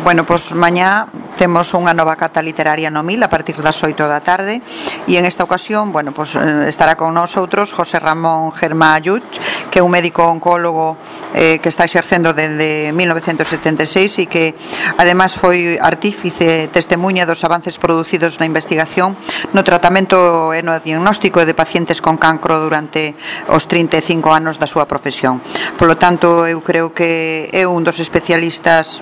Bueno, pois mañá temos unha nova cata literaria no Mil a partir das 8 da tarde e en esta ocasión, bueno, pois estará con nosotros José Ramón Germá Lluch, que é un médico oncólogo que está exercendo desde 1976 e que además foi artífice testemunha dos avances producidos na investigación no tratamento e no diagnóstico de pacientes con cancro durante os 35 anos da súa profesión. Polo tanto, eu creo que é un dos especialistas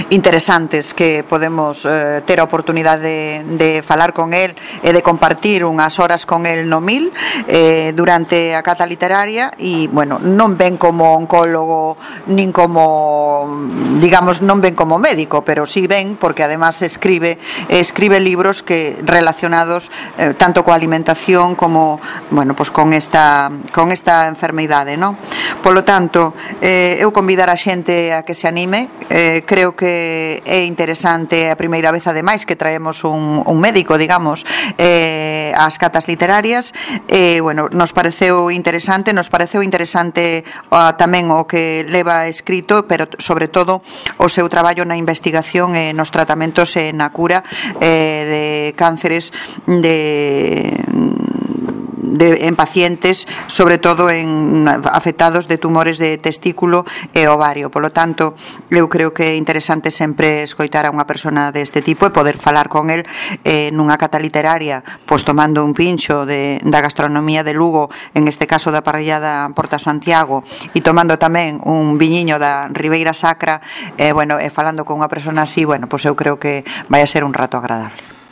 interesantes que podemos ter a oportunidade de falar con el e de compartir unhas horas con el no Mil durante a cata literaria e, bueno, non ven como oncólogo nin como, digamos, non ven como médico, pero sí ven porque además escribe libros que relacionados tanto coa alimentación como, bueno, pues con esta enfermidade, non? Polo tanto, eu convidar a xente a que se anime. Creo que é interesante a primeira vez ademais que traemos un médico, digamos, ás catas literarias. Bueno, nos pareceu interesante tamén o que leva escrito, pero sobre todo o seu traballo na investigación e nos tratamentos e na cura de cánceres en pacientes, sobre todo en afectados de tumores de testículo e ovario. Polo tanto, eu creo que é interesante sempre escoitar a unha persona deste tipo e poder falar con el nunha cata literaria, pois tomando un pincho da gastronomía de Lugo, en este caso da parrillada Porta Santiago, e tomando tamén un viñiño da Ribeira Sacra, bueno, e falando con unha persona así, bueno, pois eu creo que vai a ser un rato agradable.